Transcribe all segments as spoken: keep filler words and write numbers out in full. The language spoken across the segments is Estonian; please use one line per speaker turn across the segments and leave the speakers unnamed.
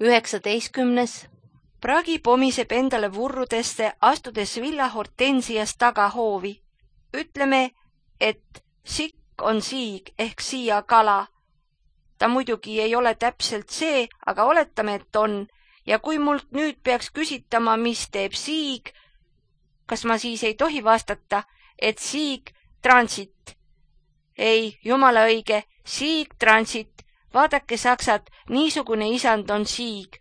üheksateistkümnes. Pragi pomiseb endale vurrudesse, astudes villa hortensias tagahoovi. Ütleme, et sikk on siig ehk siia kala. Ta muidugi ei ole täpselt see, aga oletame, et on. Ja kui mult nüüd peaks küsitama, mis teeb siig, kas ma siis ei tohi vastata, et siig transit? Ei, jumala õige, siig transit. Vaadake saksat, niisugune isand on siig.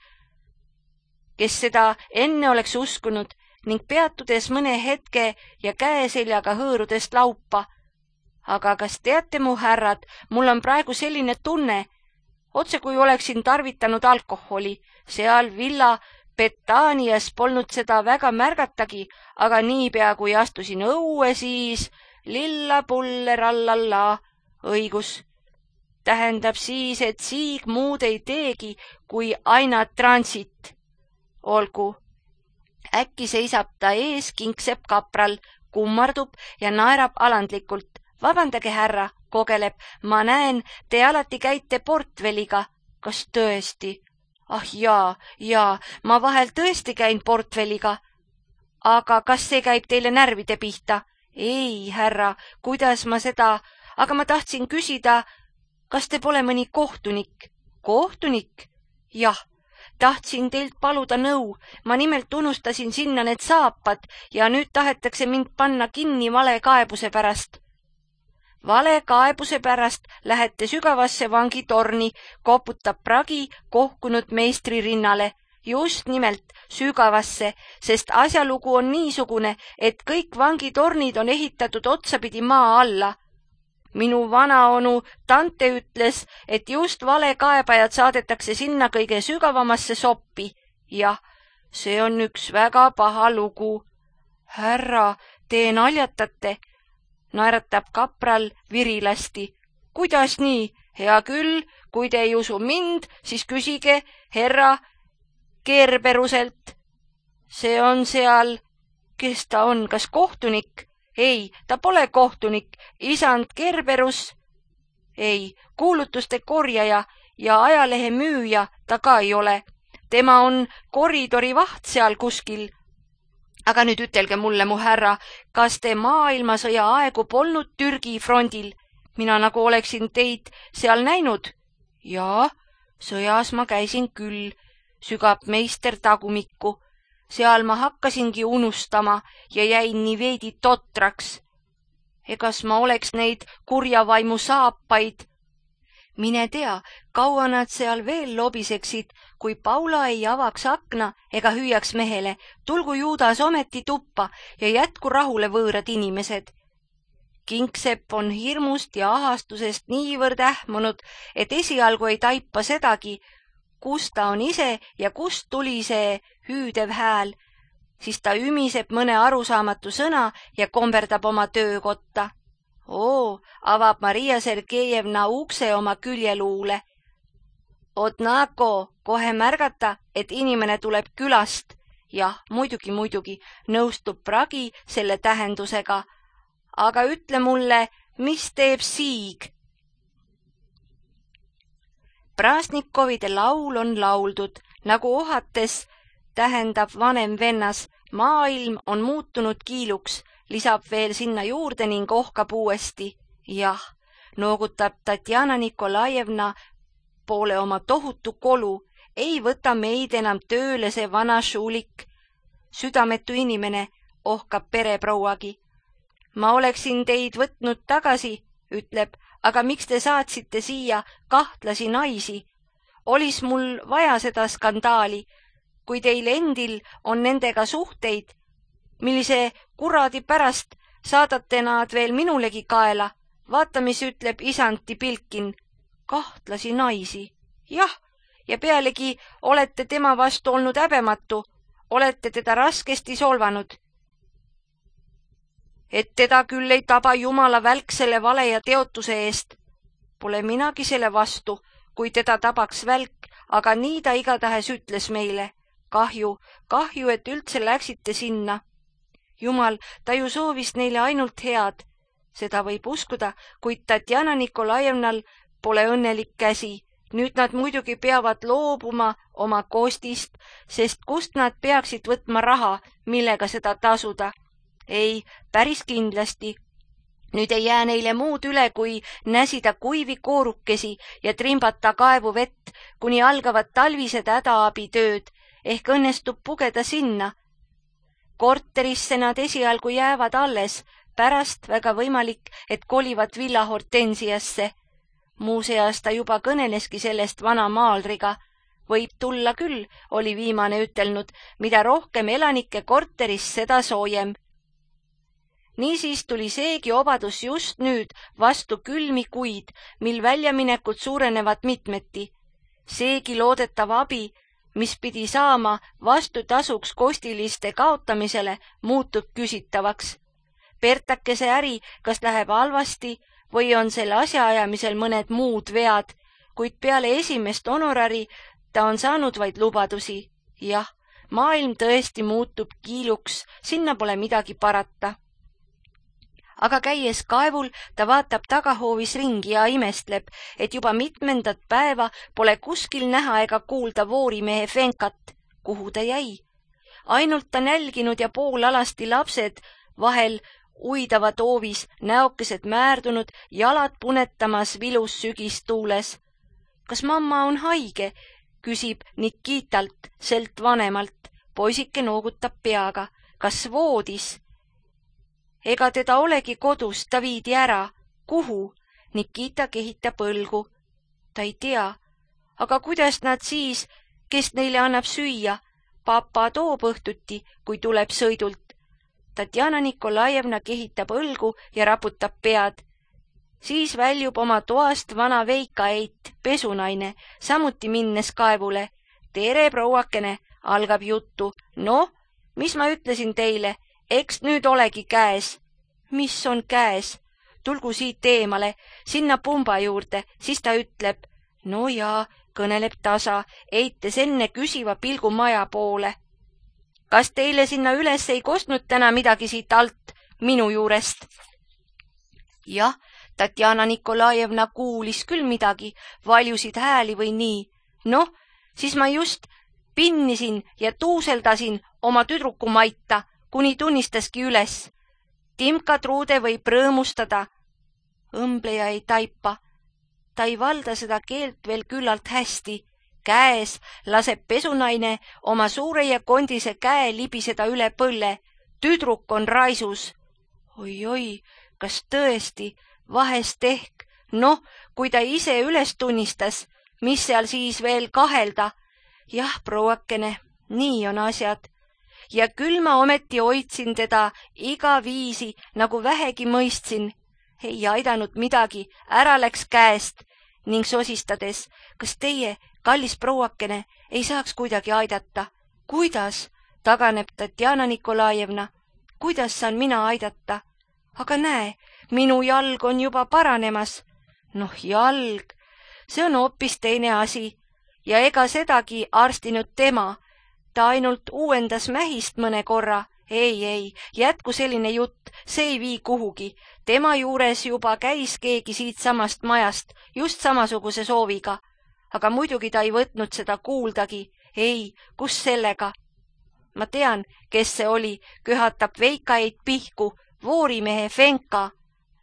Kes seda enne oleks uskunud ning peatudes mõne hetke ja käeseljaga hõõrudest laupa. Aga kas teate, mu härrad, mul on praegu selline tunne, otse kui oleksin tarvitanud alkoholi. Seal villa Betanias polnud seda väga märgatagi, aga niipea kui astusin õue, siis lilla pulle rallalla, õigus. Tähendab siis, et siig muud ei teegi, kui aina transit. Olgu. Äkki seisab ta ees, kinkseb kapral, kummardub ja naerab alandlikult. Vabandage, härra, kogeleb. Ma näen, te alati käite portvelliga. Kas tõesti? Ah jaa, jaa, ma vahel tõesti käin portvelliga. Aga kas see käib teile närvide pihta? Ei, härra, kuidas ma seda... Aga ma tahtsin küsida, kas te pole mõni kohtunik? Kohtunik? Jah, tahtsin teilt paluda nõu. Ma nimelt unustasin sinna need saapad ja nüüd tahetakse mind panna kinni vale kaebuse pärast. Vale kaebuse pärast lähete sügavasse vangitorni, koputab Pragi kohkunud meistri rinnale. Just nimelt sügavasse, sest asjalugu on niisugune, et kõik vangitornid on ehitatud otsapidi maa alla. Minu vanaonu tante ütles, et just vale kaebajad saadetakse sinna kõige sügavamasse soppi. Jah, see on üks väga paha lugu. Härra, te naljatate, naeratab kapral virilasti. Kuidas nii? Hea küll, kui te ei usu mind, siis küsige herra Kerberuselt. See on seal, kes ta on, kas kohtunik? Ei, ta pole kohtunik, isand Kerberus. Ei, kuulutuste korjaja ja ajalehe müüja ta ka ei ole. Tema on koridori vaht seal kuskil. Aga nüüd ütelge mulle, mu härra, kas te maailmasõja aegu polnud Türgi frondil? Mina nagu oleksin teid seal näinud. Jaa, sõjas ma käisin küll, sügab meister tagumikku. Seal ma hakkasingi unustama ja jäin nii veidi totraks. Egas ma oleks neid kurjavaimu saapaid? Mine tea, kaua nad seal veel lobiseksid, kui Paula ei avaks akna ega hüüaks mehele, tulgu Juudas ometi tuppa ja jätku rahule võõrad inimesed. Kingsepp on hirmust ja ahastusest niivõrd ähmunud, et esialgu ei taipa sedagi, kus ta on ise ja kust tuli see hüüdev hääl, siis ta ümiseb mõne arusaamatu sõna ja komberdab oma töökotta. Oo, avab Maria Sergejevna ukse oma küljeluule. Odnako, kohe märgata, et inimene tuleb külast. Jah, muidugi, muidugi, nõustub Pragi selle tähendusega. Aga ütle mulle, mis teeb siig? Prasnikovide laul on lauldud, nagu ohates tähendab vanem vennas, maailm on muutunud kiiluks, lisab veel sinna juurde ning ohkab uuesti. Jah, noogutab Tatjana Nikolajevna poole oma tohutu kolu, ei võta meid enam tööle see vana šuulik. Südametu inimene, ohkab pereprouagi. Ma oleksin teid võtnud tagasi, ütleb, aga miks te saatsite siia kahtlasi naisi? Olis mul vaja seda skandaali, kui teil endil on nendega suhteid, millise kuradi pärast saadate nad veel minulegi kaela. Vaata, mis ütleb isanti Pilkin. Kahtlasi naisi. Jah, ja pealegi olete tema vastu olnud häbematu, olete teda raskesti solvanud. Et teda küll ei taba Jumala välk selle vale ja teotuse eest. Pole minagi selle vastu, kui teda tabaks välk, aga nii ta igatahes ütles meile. Kahju, kahju, et üldse läksite sinna. Jumal, ta ju soovis neile ainult head. Seda võib uskuda, kuid Tatjana Nikolajevnal pole õnnelik käsi Nüüd nad muidugi peavad loobuma oma kostist, sest kust nad peaksid võtma raha, millega seda tasuda? Ei, päris kindlasti. Nüüd ei jää neile muud üle, kui näsida kuivi koorukesi ja trimbata kaevu vett, kuni algavad talvised hädaabitööd, ehk õnnestub pugeda sinna. Korterisse nad esialgu jäävad alles, pärast väga võimalik, et kolivad Villa Hortensiasse. Muuseas ta juba kõneleski sellest vana maalriga. Võib tulla küll, oli viimane ütelnud, mida rohkem elanike korteris, seda soojem. Niisiis tuli seegi obadus just nüüd vastu külmi kuid, mil väljaminekud suurenevad mitmeti. Seegi loodetav abi, mis pidi saama vastutasuks kostiliste kaotamisele, muutub küsitavaks. Pertakese äri, kas läheb halvasti või on selle asjaajamisel mõned muud vead, kuid peale esimest honorari ta on saanud vaid lubadusi. Jah, maailm tõesti muutub kiiluks, sinna pole midagi parata. Aga käies kaevul ta vaatab tagahoovis ringi ja imestleb, et juba mitmendat päeva pole kuskil näha ega kuulda voorimehe Fenkat. Kuhu ta jäi? Ainult ta nälginud ja poolalasti lapsed vahel uidavad hoovis, näokesed määrdunud, jalad punetamas vilus sügistuules. Kas mamma on haige? Küsib Nikitalt, selt vanemalt. Poisike noogutab peaga. Kas voodis? Ega teda olegi kodus, ta viidi ära. Kuhu? Nikita kehitab õlgu. Ta ei tea. Aga kuidas nad siis, kes neile annab süüa? Papa toob õhtuti, kui tuleb sõidult. Tatjana Nikolajevna kehitab õlgu ja raputab pead. Siis väljub oma toast vana Veika-eit, pesunaine, samuti minnes kaevule. Tere, prouakene, algab juttu. No, mis ma ütlesin teile? Eks nüüd olegi käes. Mis on käes? Tulgu siit eemale, sinna pumba juurde, siis ta ütleb. No jaa, kõneleb tasa, eites enne küsiva pilgu maja poole. Kas teile sinna üles ei kostnud täna midagi siit alt, minu juurest? Jah, Tatjana Nikolajevna kuulis küll midagi, valjusid hääli või nii. Noh, siis ma just pinnisin ja tuuseldasin oma tüdruku Maita, kuni tunnistaski üles. Timka Truude võib rõõmustada. Õmbleja ei taipa. Ta ei valda seda keelt veel küllalt hästi. Käes laseb pesunaine oma suure ja kondise käe libiseda üle põlle. Tüdruk on raisus. Oi-oi, kas tõesti, vahest ehk. Noh, kui ta ise üles tunnistas, mis seal siis veel kahelda. Jah, prouakene, nii on asjad. Ja küll ma ometi hoidsin teda iga viisi, nagu vähegi mõistsin. Ei aidanud midagi, ära läks käest ning sosistades, kas teie, kallis prouakene, ei saaks kuidagi aidata? Kuidas? Taganeb Tatjana Nikolajevna. Kuidas saan mina aidata? Aga näe, minu jalg on juba paranemas. Noh, jalg, see on hoopis teine asi ja ega sedagi arstinud tema. Ta ainult uuendas mähist mõne korra. Ei, ei, jätku selline jutt, see ei vii kuhugi. Tema juures juba käis keegi siit samast majast, just samasuguse sooviga. Aga muidugi ta ei võtnud seda kuuldagi. Ei, kus sellega? Ma tean, kes see oli, köhatab Veika-eit pihku, voorimehe Fenka.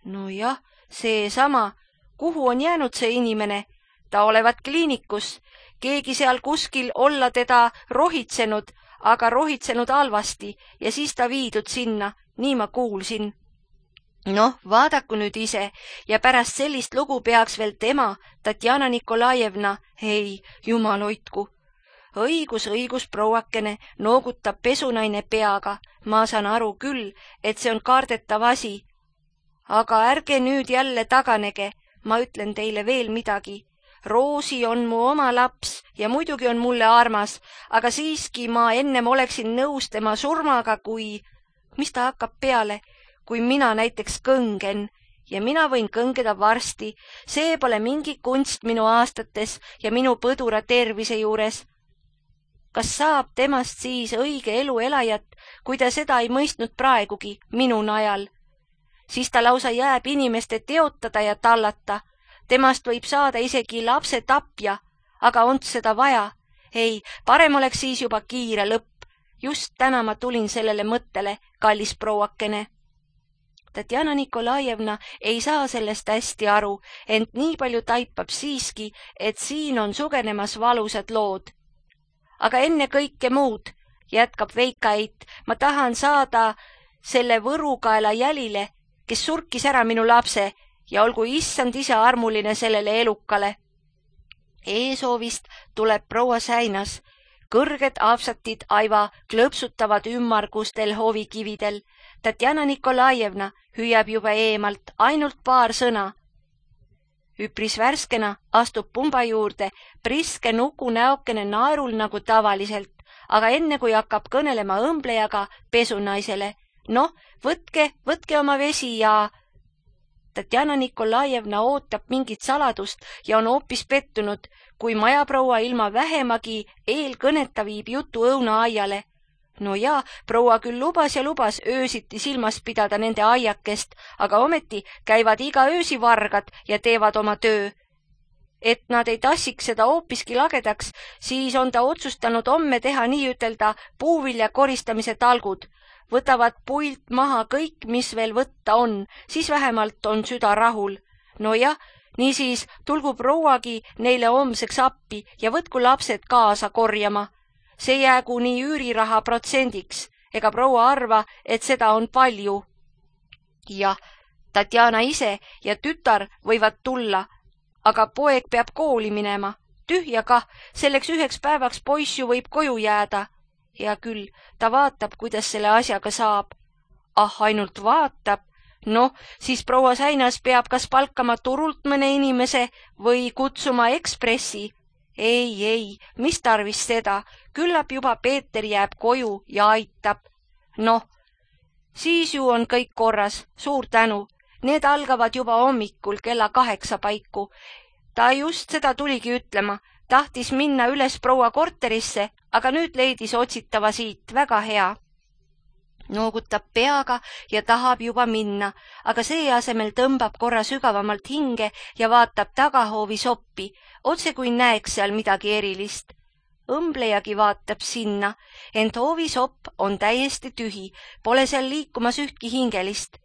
No jah, see sama. Kuhu on jäänud see inimene? Ta olevat kliinikus. Keegi seal kuskil olla teda rohitsenud, aga rohitsenud halvasti ja siis ta viidud sinna, nii ma kuulsin. Noh, vaadaku nüüd ise ja pärast sellist lugu peaks veel tema, Tatjana Nikolajevna, ei, jumal hoidku. Õigus, õigus, prouakene, noogutab pesunaine peaga. Ma saan aru küll, et see on kardetav asi. Aga ärge nüüd jälle taganege, ma ütlen teile veel midagi. Roosi on mu oma laps ja muidugi on mulle armas, aga siiski ma ennem oleksin nõus tema surmaga, kui... Mis ta hakkab peale, kui mina näiteks kõngen ja mina võin kõngeda varsti. See pole mingi kunst minu aastates ja minu põdura tervise juures. Kas saab temast siis õige elu elajat, kui ta seda ei mõistnud praegugi, minu najal? Siis ta lausa jääb inimeste teotada ja tallata. Temast võib saada isegi lapse tapja, aga on seda vaja. Ei, parem oleks siis juba kiire lõpp. Just täna ma tulin sellele mõttele, kallis prouakene. Tatjana Nikolajevna ei saa sellest hästi aru, ent nii palju taipab siiski, et siin on sugenemas valusad lood. Aga enne kõike muud, jätkab Veikait, ma tahan saada selle võrukaela jälile, kes surkis ära minu lapse ja olgu issand ise armuline sellele elukale. Eesoovist tuleb proua Säinas. Kõrged apsatid aiva klõpsutavad ümmargustel hovikividel. Tatjana Nikolajevna hüüab juba eemalt ainult paar sõna. Üpris värskena astub pumba juurde priske nuku näokene naerul nagu tavaliselt, aga enne kui hakkab kõnelema õmblejaga pesunaisele. Noh, võtke, võtke oma vesi ja... Tatjana Nikolajevna ootab mingit saladust ja on hoopis pettunud, kui majaproua ilma vähemagi eelkõneta viib jutu õunaaiale. No jaa, proua küll lubas ja lubas öösiti silmas pidada nende aiakest, aga ometi käivad iga öösi vargad ja teevad oma töö. Et nad ei tassiks seda hoopiski lagedaks, siis on ta otsustanud homme teha nii ütelda puuvilja koristamise talgud. Võtavad puilt maha kõik, mis veel võtta on, siis vähemalt on süda rahul. No jah, niisiis tulgu prouagi neile homseks appi ja võtku lapsed kaasa korjama. See jäägu nii üüriraha protsendiks, ega proua arva, et seda on palju. Jah, Tatjana ise ja tütar võivad tulla, aga poeg peab kooli minema. Tühja kah, selleks üheks päevaks poiss ju võib koju jääda. Ja küll, ta vaatab, kuidas selle asjaga saab. Ah, ainult vaatab. Noh, siis proua Säinas peab kas palkama turult mõne inimese või kutsuma ekspressi. Ei, ei, mis tarvis seda, küllap juba Peeter jääb koju ja aitab. Noh, siis ju on kõik korras, suur tänu. Need algavad juba hommikul kella kaheksa paiku. Ta just seda tuligi ütlema, tahtis minna üles proua korterisse, aga nüüd leidis otsitava siit, väga hea. Noogutab peaga ja tahab juba minna, aga see asemel tõmbab korra sügavamalt hinge ja vaatab tagahoovi soppi, otse kui näeks seal midagi erilist. Õmblejagi vaatab sinna, ent hoovisopp on täiesti tühi, pole seal liikumas ühtki hingelist.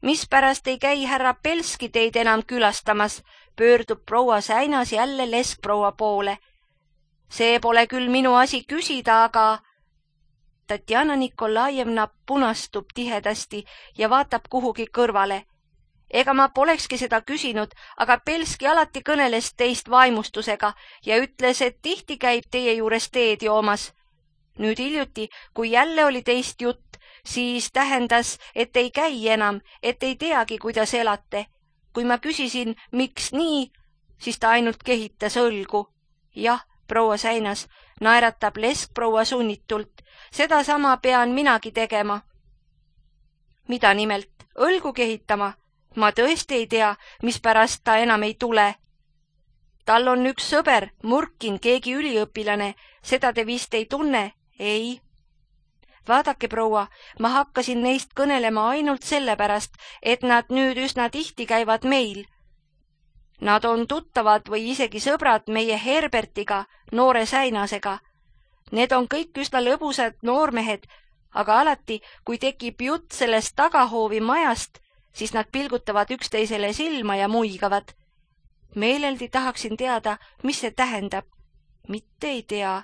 Mispärast ei käi härra Pelski teid enam külastamas, pöördub proua Säinas jälle leskproua poole. See pole küll minu asi küsida, aga... Tatjana Nikolajevna punastub tihedasti ja vaatab kuhugi kõrvale. Ega ma polekski seda küsinud, aga Pelski alati kõneles teist vaimustusega ja ütles, et tihti käib teie juures teed joomas. Nüüd hiljuti, kui jälle oli teist jutt, siis tähendas, et ei käi enam, et ei teagi, kuidas elate. Kui ma küsisin, miks nii, siis ta ainult kehitas õlgu. Jah, proua Säinas, naeratab leskproua sunnitult. Seda sama pean minagi tegema. Mida nimelt? Õlgu kehitama? Ma tõesti ei tea, mispärast ta enam ei tule. Tal on üks sõber, Murkin, keegi üliõpilane. Seda te vist ei tunne? Ei. Vaadake, proua, ma hakkasin neist kõnelema ainult sellepärast, et nad nüüd üsna tihti käivad meil. Nad on tuttavad või isegi sõbrad meie Herbertiga, noore Säinasega. Need on kõik üsna lõbusad noormehed, aga alati, kui tekib jutt sellest tagahoovi majast, siis nad pilgutavad üksteisele silma ja muigavad. Meeleldi tahaksin teada, mis see tähendab. Mitte ei tea.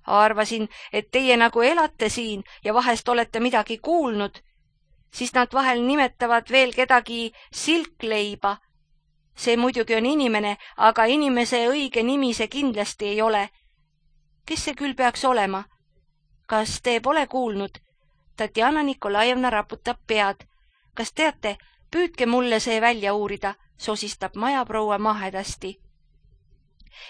Arvasin, et teie nagu elate siin ja vahest olete midagi kuulnud. Siis nad vahel nimetavad veel kedagi Silkleiba. See muidugi on inimene, aga inimese õige nimi see kindlasti ei ole. Kes see küll peaks olema? Kas te pole kuulnud? Tatjana Nikolajevna raputab pead. Kas teate, püüdke mulle see välja uurida, sosistab majaproua mahedasti.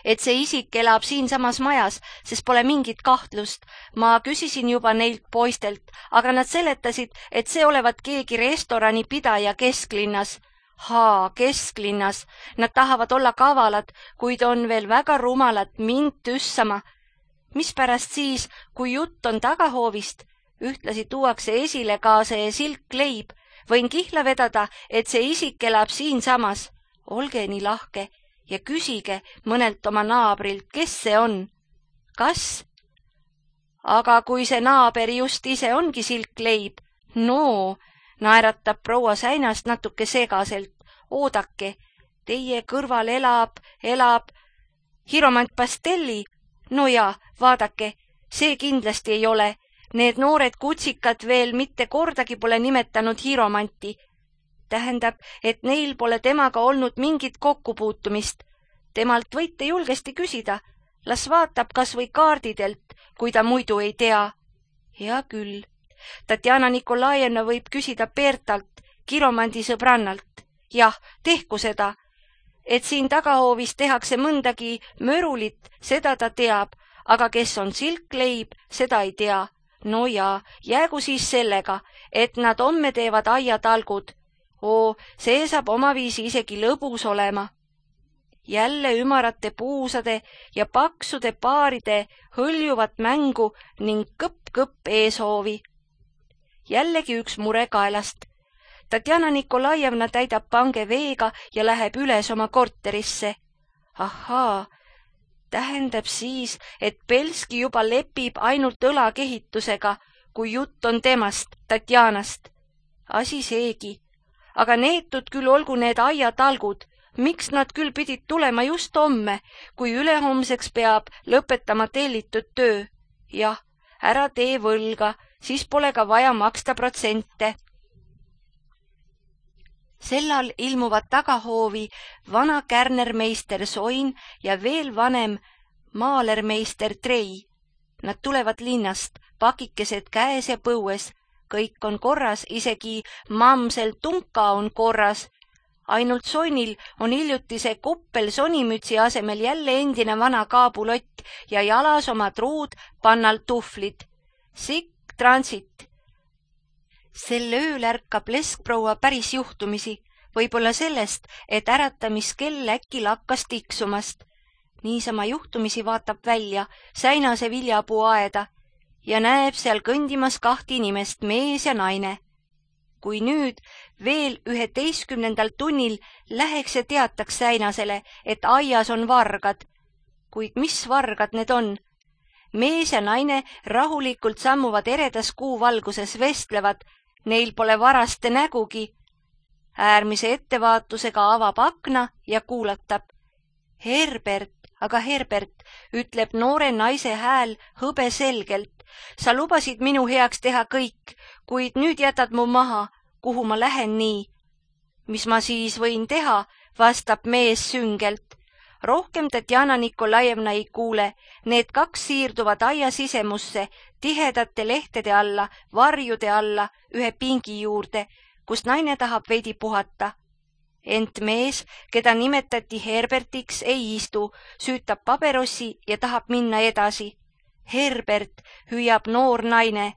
Et see isik elab siinsamas majas, sest pole mingit kahtlust. Ma küsisin juba neilt poistelt, aga nad seletasid, et see olevat keegi restorani pidaja kesklinnas. Haa, kesklinnas. Nad tahavad olla kavalad, kuid on veel väga rumalad mind tüssama. Mispärast siis, kui jutt on tagahoovist, ühtlasi tuuakse esile ka see Silkleib, Võin kihla vedada, et see isik elab siinsamas. Olge nii lahke ja küsige mõnelt oma naabrilt, kes see on. Kas? Aga kui see naaber just ise ongi silkleib, no, naeratab proua Säinast natuke segaselt. Oodake, teie kõrval elab, elab Hiromant Pastelli. No ja, vaadake, see kindlasti ei ole. Need noored kutsikad veel mitte kordagi pole nimetanud Hiromanti. Tähendab, et neil pole temaga olnud mingit kokkupuutumist. Temalt võite julgesti küsida. Las vaatab kas või kaardidelt, kui ta muidu ei tea. Hea küll. Tatjana Nikolajevna võib küsida Bertalt, Hiromandi sõbrannalt. Jah, tehku seda. Et siin tagahoovis tehakse mõndagi mörulit, seda ta teab, aga kes on silkleib, seda ei tea. No ja, jäägu siis sellega, et nad homme teevad aiatalgud. Oo, see saab omaviisi isegi lõbus olema. Jälle ümarate puusade ja paksude paaride hõljuvat mängu ning kõpp-kõpp eeshoovi. Jällegi üks mure kaelast. Tatjana Nikolajevna täidab pange veega ja läheb üles oma korterisse. Ahaa, tähendab siis, et Belski juba lepib ainult õlakehitusega, kui jutt on temast, Tatjanast. Asi seegi. Aga neetud küll olgu need aiatalgud. Miks nad küll pidid tulema just homme, kui ülehomseks peab lõpetama tellitud töö? Jah, ära tee võlga, siis pole ka vaja maksta protsente. Sellal ilmuvad tagahoovi vana kärnermeister Soin ja veel vanem maalermeister Trei. Nad tulevad linnast, pakikesed käes ja põues. Kõik on korras, isegi mamsel Tunka on korras. Ainult Soinil on hiljutise kuppel sonimütsi asemel jälle endine vana kaabulott ja jalas oma truud pannal tuhvlid. Sikk transit. Sel ööl ärkab leskproua päris juhtumisi, võib-olla sellest, et äratamiskell äkki lakkas tiksumast. Niisama juhtumisi vaatab välja Säinase viljapuu aeda ja näeb seal kõndimas kahti inimest, mees ja naine. Kui nüüd veel üheteistkümnendal tunnil läheks ja teataks Säinasele, et aias on vargad. Kuid mis vargad need on? Mees ja naine rahulikult sammuvad eredas kuuvalguses, vestlevad, neil pole varaste nägugi. Äärmise ettevaatusega avab akna ja kuulatab. Herbert, aga Herbert, ütleb noore naise hääl hõbe selgelt. Sa lubasid minu heaks teha kõik, kuid nüüd jätad mu maha, kuhu ma lähen nii. Mis ma siis võin teha, vastab mees süngelt. Rohkem Tatjana Nikolajevna ei kuule, need kaks siirduvad aia sisemusse, tihedate lehtede alla, varjude alla, ühe pingi juurde, kus naine tahab veidi puhata. Ent mees, keda nimetati Herbertiks, ei istu, süütab paberossi ja tahab minna edasi. Herbert, hüüab noor naine.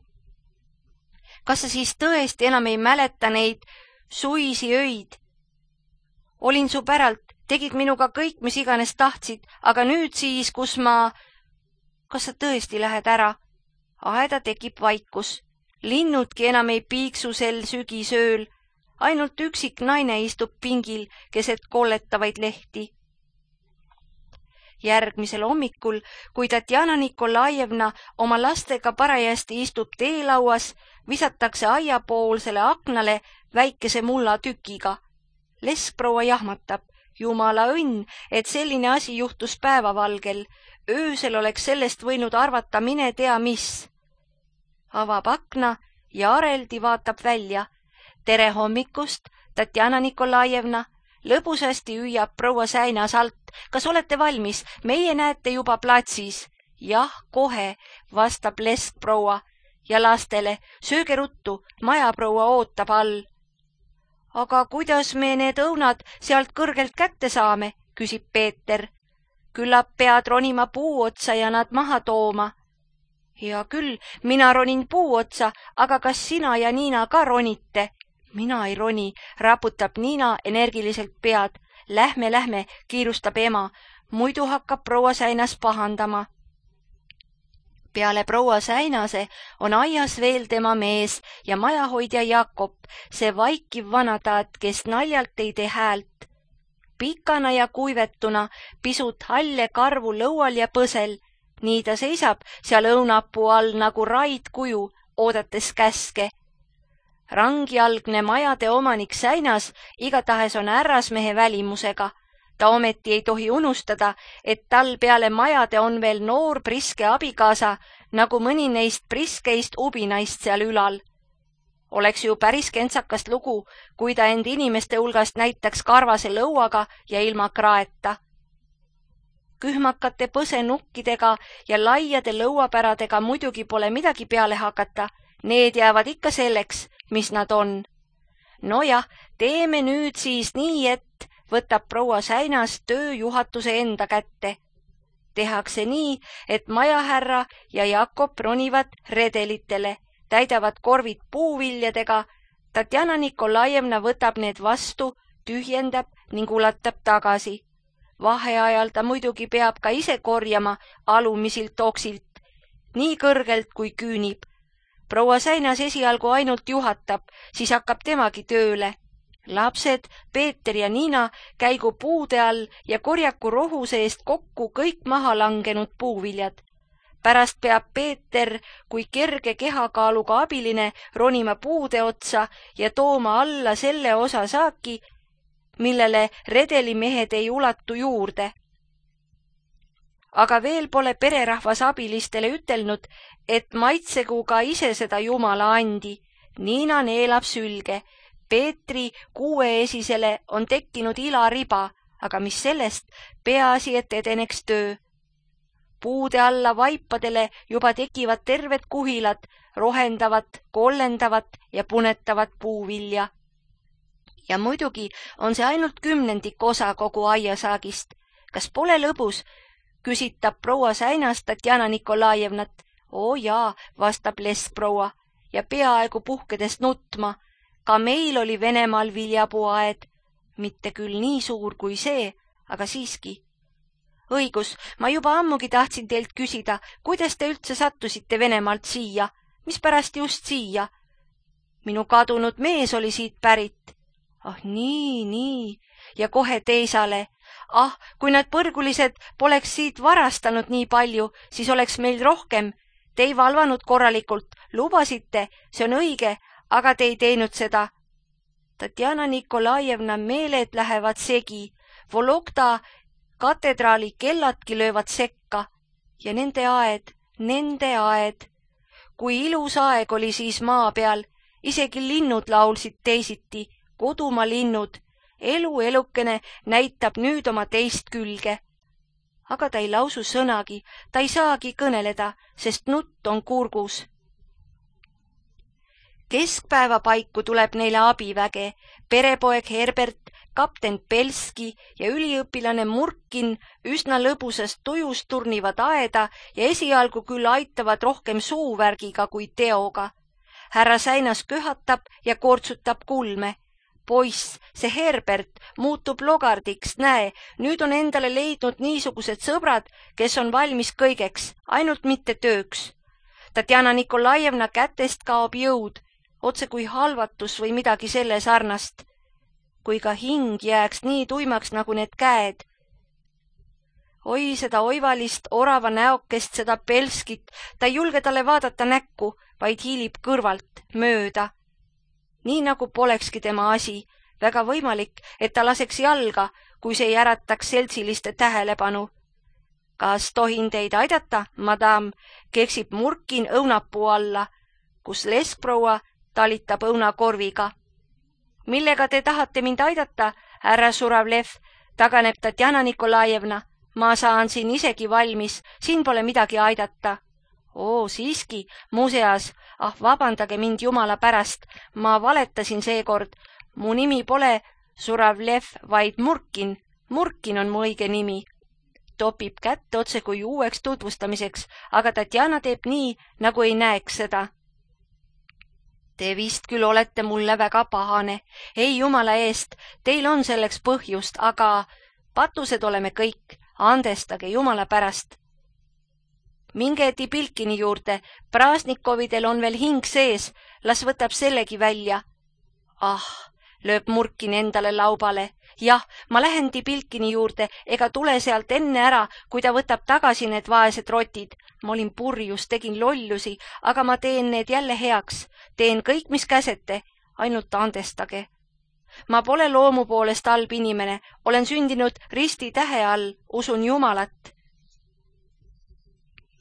Kas sa siis tõesti enam ei mäleta neid suisi öid? Olin su päralt, tegid minuga kõik, mis iganes tahtsid, aga nüüd siis, kus ma... Kas sa tõesti lähed ära? Aeda tekib vaikus. Linnudki enam ei piiksu sel sügisööl. Ainult üksik naine istub pingil keset kolletavaid lehti. Järgmisel hommikul, kui Tatjana Nikolajevna oma lastega parajasti istub teelauas, visatakse aiapoolsele aknale väikese mulla tükiga. Leskproua jahmatab. Jumala õnn, et selline asi juhtus päevavalgel. Öösel oleks sellest võinud arvata mine tea mis. Avab akna ja areldi vaatab välja. Tere hommikust, Tatjana Nikolajevna. Lõbusasti hüüab proua Säinas alt. Kas olete valmis? Meie näete juba platsis. Jah, kohe, vastab leskproua. Ja lastele, sööge ruttu, majaproua ootab all. Aga kuidas me need õunad sealt kõrgelt kätte saame, küsib Peeter. Küllap pead ronima puu otsa ja nad maha tooma. Hea küll, mina ronin puu otsa, aga kas sina ja Niina ka ronite? Mina ei roni, raputab Niina energiliselt pead. Lähme, lähme, kiirustab ema, muidu hakkab proua Säinas pahandama. Peale proua Säinase on aias veel tema mees ja majahoidja Jakob, see vaikiv vanataat, kes naljalt ei tee häält. Pikana ja kuivetuna, pisut halle karvu lõual ja põsel, nii ta seisab seal õunapuu all nagu raidkuju, oodates käske. Rangjalgne majade omanik Säinas igatahes on härrasmehe välimusega. Ta ometi ei tohi unustada, et tal peale majade on veel noor priske abikaasa, nagu mõni neist priskeist ubinaist seal ülal. Oleks ju päris kentsakast lugu, kui ta end inimeste hulgast näitaks karvase lõuaga ja ilma kraeta. Kühmakate põsenukkidega ja laiade lõuapäradega muidugi pole midagi peale hakata, need jäävad ikka selleks, mis nad on. Nojah, teeme nüüd siis nii, et võtab proua Säinas tööjuhatuse enda kätte. Tehakse nii, et majahärra ja Jakob ronivad redelitele, täidavad korvid puuviljadega, Tatjana Nikolajevna võtab need vastu, tühjendab ning ulatab tagasi. Vaheajal ta muidugi peab ka ise korjama alumisilt oksilt, nii kõrgelt kui küünib. Proua Säinas esialgu ainult juhatab, siis hakkab temagi tööle. Lapsed, Peeter ja Niina käigu puude all ja korjaku rohuse eest kokku kõik maha langenud puuviljad. Pärast peab Peeter kui kerge kehakaaluga abiline ronima puude otsa ja tooma alla selle osa saaki, millele redelimehed ei ulatu juurde. Aga veel pole pererahvas abilistele ütelnud, et maitsegu ka ise seda Jumala andi. Niina neelab sülge. Peetri kuueesisele on tekkinud ilariba, aga mis sellest, peaasi, et edeneks töö. Puude alla vaipadele juba tekivad terved kuhilad, rohendavat, kollendavat ja punetavat puuvilja. Ja muidugi on see ainult kümnendik osa kogu aiasaagist. Kas pole lõbus, küsitab proua Säinas Tatjana Nikolajevnat. Oo jaa, vastab leskproua ja peaaegu puhkedes nutma. Ka meil oli Venemaal viljapuuaed, mitte küll nii suur kui see, aga siiski. Õigus, ma juba ammugi tahtsin teilt küsida, kuidas te üldse sattusite Venemaalt siia, mis pärast just siia? Minu kadunud mees oli siit pärit. Ah nii, nii, ja kohe teisale. Ah, kui nad põrgulised poleks siit varastanud nii palju, siis oleks meil rohkem. Te ei valvanud korralikult, lubasite, see on õige, aga te ei teinud seda. Tatjana Nikolajevna meeled lähevad segi, Vologda katedraali kelladki löövad sekka ja nende aed, nende aed. Kui ilus aeg oli siis maa peal, isegi linnud laulsid teisiti, kodumaa linnud, elu elukene näitab nüüd oma teist külge. Aga ta ei lausu sõnagi, ta ei saagi kõneleda, sest nutt on kurgus. Keskpäeva paiku tuleb neile abiväge, perepoeg Herbert, kapten Pelski ja üliõpilane Murkin üsna lõbusast tujust turnivad aeda ja esialgu küll aitavad rohkem suuvärgiga kui teoga. Härra Säinas köhatab ja kortsutab kulme. Poiss, see Herbert muutub logardiks, näe, nüüd on endale leidnud niisugused sõbrad, kes on valmis kõigeks, ainult mitte tööks. Tatjana Nikolajevna kätest kaob jõud, otse kui halvatus või midagi selle sarnast. Kui ka hing jääks nii tuimaks nagu need käed. Oi, seda oivalist orava näokest, seda Pelskit, ta ei julge talle vaadata näkku, vaid hiilib kõrvalt, mööda. Nii nagu polekski tema asi, väga võimalik, et ta laseks jalga, kui see ei ärataks seltsiliste tähelepanu. Kas tohin teid aidata, madam, keksib Murkin õunapuu alla, kus leskproua talitab õunakorviga. Millega te tahate mind aidata, härra Suravlev, taganeb Tatjana Nikolajevna. Ma saan siin isegi valmis, siin pole midagi aidata. Oo, siiski, muuseas, ah, vabandage mind Jumala pärast, ma valetasin seekord. Mu nimi pole Suravlev, vaid Murkin. Murkin on mu õige nimi. Topib kätt otse kui uueks tutvustamiseks, aga Tatjana teeb nii, nagu ei näeks seda. Te vist küll olete mulle väga pahane. Ei Jumala eest, teil on selleks põhjust, aga patused oleme kõik. Andestage Jumala pärast. Minge Tipilkini juurde, Praasnikovidel on veel hing sees, las võtab sellegi välja. Ah, lööb Murkin endale laubale. Jah, ma lähen Tipilkini juurde, ega tule sealt enne ära, kui ta võtab tagasi need vaesed rotid. Ma olin purjus, tegin lollusi, aga ma teen need jälle heaks. Teen kõik, mis käsete, ainult andestage. Ma pole loomu poolest halb inimene, olen sündinud risti tähe all, usun Jumalat.